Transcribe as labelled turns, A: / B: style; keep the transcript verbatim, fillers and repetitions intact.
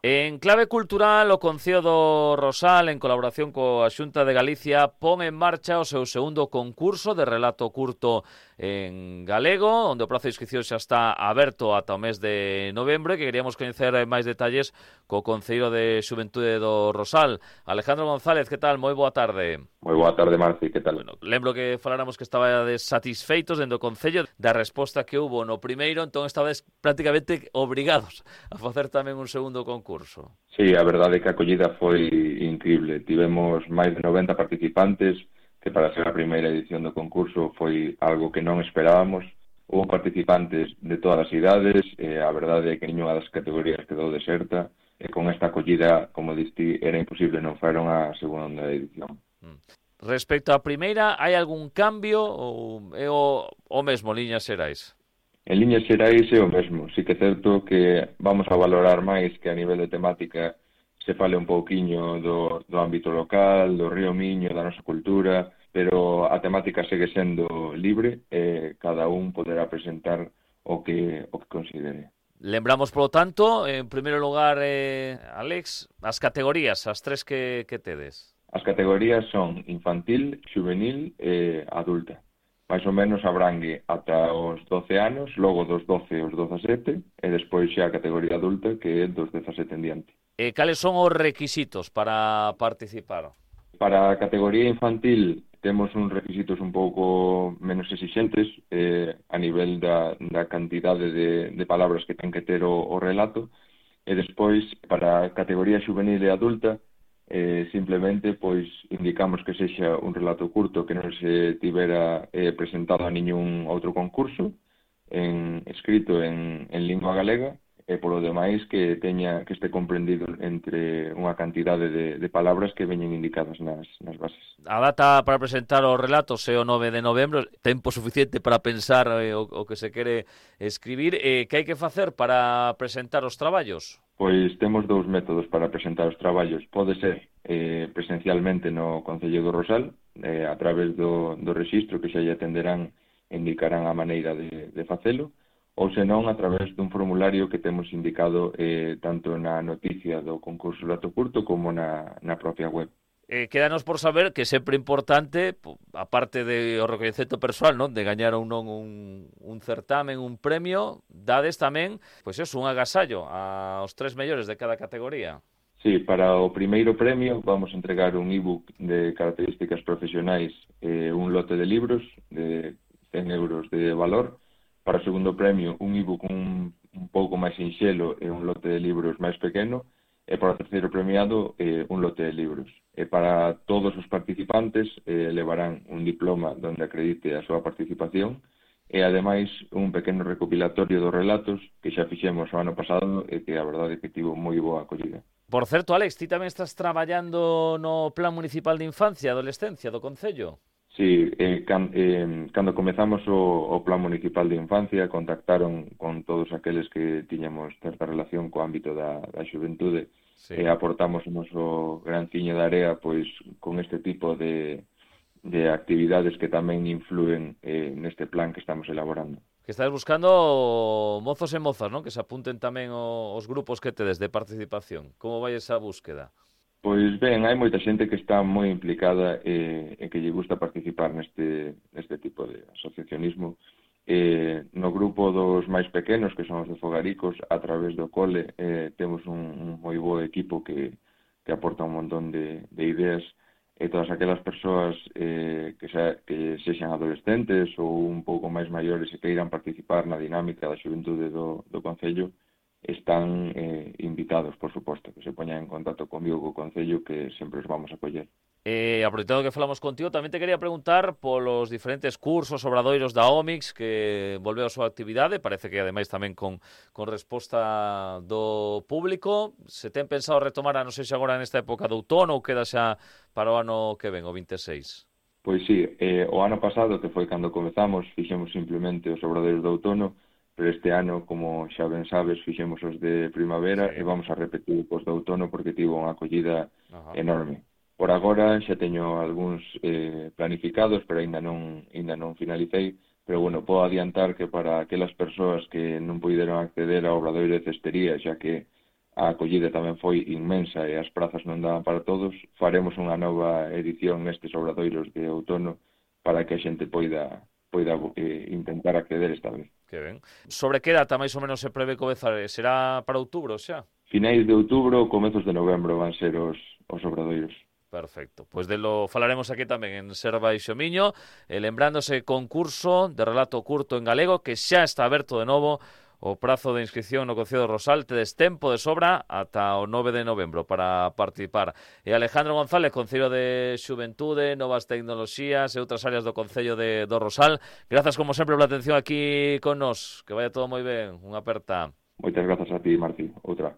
A: En clave cultural, o Concello do Rosal, en colaboración coa Xunta de Galicia, pon en marcha o seu segundo concurso de relato curto en galego, onde o prazo de inscripción xa está aberto ata o mes de novembro, e que queríamos coñecer máis detalles co Concello de Xuventude do Rosal. Alejandro González, que tal? Moi boa tarde.
B: Moi boa tarde, Marci, que tal?
A: Bueno, lembro que faláramos que estabades satisfeitos dentro do Concello da resposta que hubo no primeiro, entón estabades prácticamente obrigados a facer tamén un segundo concurso.
B: Sí, a verdade é que a acollida foi increíble. Tivemos máis de noventa participantes, que para ser a primeira edición do concurso foi algo que non esperábamos. Houve participantes de todas as idades, e a verdade é que ninguna das categorías quedou deserta, e con esta acollida, como diste, era imposible non fueron a segunda edición.
A: Respecto á primeira, hai algún cambio ou é o, o mesmo, liñas xerais?
B: En liñas xerais é o mesmo. Sí que é certo que vamos a valorar máis que a nivel de temática se fale un pouquiño do, do ámbito local, do Río Miño, da nosa cultura, pero a temática segue sendo libre e cada un poderá presentar o que, o que considere.
A: Lembramos, polo tanto, en primeiro lugar, eh, Alex, as categorías, as tres que, que tedes.
B: As categorías son infantil, juvenil e adulta. Mais ou menos abrangue ata os doce anos, logo dos doce aos dezasete, e despois xa a categoría adulta, que é dos dezasete en diante.
A: E cales son os requisitos para participar?
B: Para a categoría infantil temos uns requisitos un pouco menos exixentes eh, a nivel da, da cantidade de, de palabras que ten que ter o, o relato, e despois para a categoría juvenil e adulta Eh, simplemente pois indicamos que sexa un relato curto que non se tivera eh, presentado a ningún outro concurso en, escrito en, en lingua galega, e polo demais que teña que este comprendido entre unha cantidade de, de palabras que veñen indicadas nas, nas bases.
A: A data para presentar os relatos é o nove de novembro, tempo suficiente para pensar eh, o, o que se quere escribir. Eh, que hai que facer para presentar os traballos?
B: Pois temos dous métodos para presentar os traballos. Pode ser eh, presencialmente no Concello do Rosal, eh, a través do, do rexistro que xa lle atenderán e indicarán a maneira de, de facelo, ou senón a través dun formulario que temos indicado eh, tanto na noticia do concurso Relato Curto como na, na propia web.
A: Eh, quédanos por saber que é sempre importante, aparte de o recoñecemento persoal, non, de gañar ou non un, un certamen, un premio, dades tamén, pois é un agasallo aos tres mellores de cada categoría.
B: Sí, para o primeiro premio vamos a entregar un ebook de características profesionais e eh, un lote de libros de cen euros de valor. Para o segundo premio, un ebook un, un pouco máis sinxelo e un lote de libros máis pequeno. E para o terceiro premiado, eh, un lote de libros. E para todos os participantes eh, levarán un diploma donde acredite a súa participación e, ademais, un pequeno recopilatorio dos relatos que xa fixemos o ano pasado e que a verdade é que tivo moi boa acollida.
A: Por certo, Alex, ti tamén estás traballando no Plan Municipal de Infancia e Adolescencia do Concello?
B: Sí, eh, can, eh, cando comezamos o, o Plan Municipal de Infancia contactaron con todos aqueles que tiñamos certa relación co ámbito da, da xuventude. Sí. E aportamos o noso granciño de area pois con este tipo de, de actividades que tamén influen eh, neste plan que estamos elaborando.
A: Que estás buscando mozos e mozas, non? Que se apunten tamén os grupos que tedes de participación. Como vai esa búsqueda?
B: Pois ben, hai moita xente que está moi implicada e, e que lle gusta participar neste, neste tipo de asociacionismo. Eh, no grupo dos máis pequenos, que son os de Fogaricos, a través do cole, eh, temos un, un moi bo equipo que, que aporta un montón de, de ideas, e todas aquelas persoas eh, que, xa, que sexan adolescentes ou un pouco máis maiores e que irán participar na dinámica da xuventude do, do Concello, están eh, invitados, por suposto, que se poñan en contacto comigo co Concello, que sempre os vamos a coller.
A: Eh, aproveitando que falamos contigo, tamén te quería preguntar polos diferentes cursos, obradoiros da O M I X que volveu a súa actividade, parece que ademais tamén con, con resposta do público. Se ten pensado retomar, a non sei se agora nesta época de outono ou queda xa para o ano que ven, o vinte e seis?
B: Pois sí, eh, o ano pasado, que foi cando comezamos, fixemos simplemente os obradoiros de outono, pero este ano, como xa ben sabes, fixemos os de primavera, sí, e vamos a repetir os de outono porque tivo unha acollida Ajá. enorme. Por agora xa teño algúns eh, planificados, pero ainda non, ainda non finalicei, pero bueno, podo adiantar que para aquelas persoas que non puideron acceder ao obradoiro de cestería, xa que a acollida tamén foi inmensa e as prazas non daban para todos, faremos unha nova edición nestes obradoiros de outono para que a xente poida, poida eh, intentar acceder esta vez.
A: Que ben. Sobre que data máis ou menos se prevé comezar? Será para outubro xa?
B: Finais de outubro, comezos de novembro van ser os, os obradoiros.
A: Perfecto, pois pues de lo falaremos aquí tamén en Ser Baixo Miño, eh, lembrándose concurso de relato curto en galego que xa está aberto de novo. O prazo de inscripción no Concello de Rosal, tedes tempo de sobra ata o nove de novembro para participar. E Alejandro González, Concello de Xuventude, Novas Tecnoloxías e outras áreas do Concello de do Rosal, grazas como sempre pola atención aquí con nos. Que vaya todo moi ben, unha aperta.
B: Moitas grazas a ti, Martí. Outra.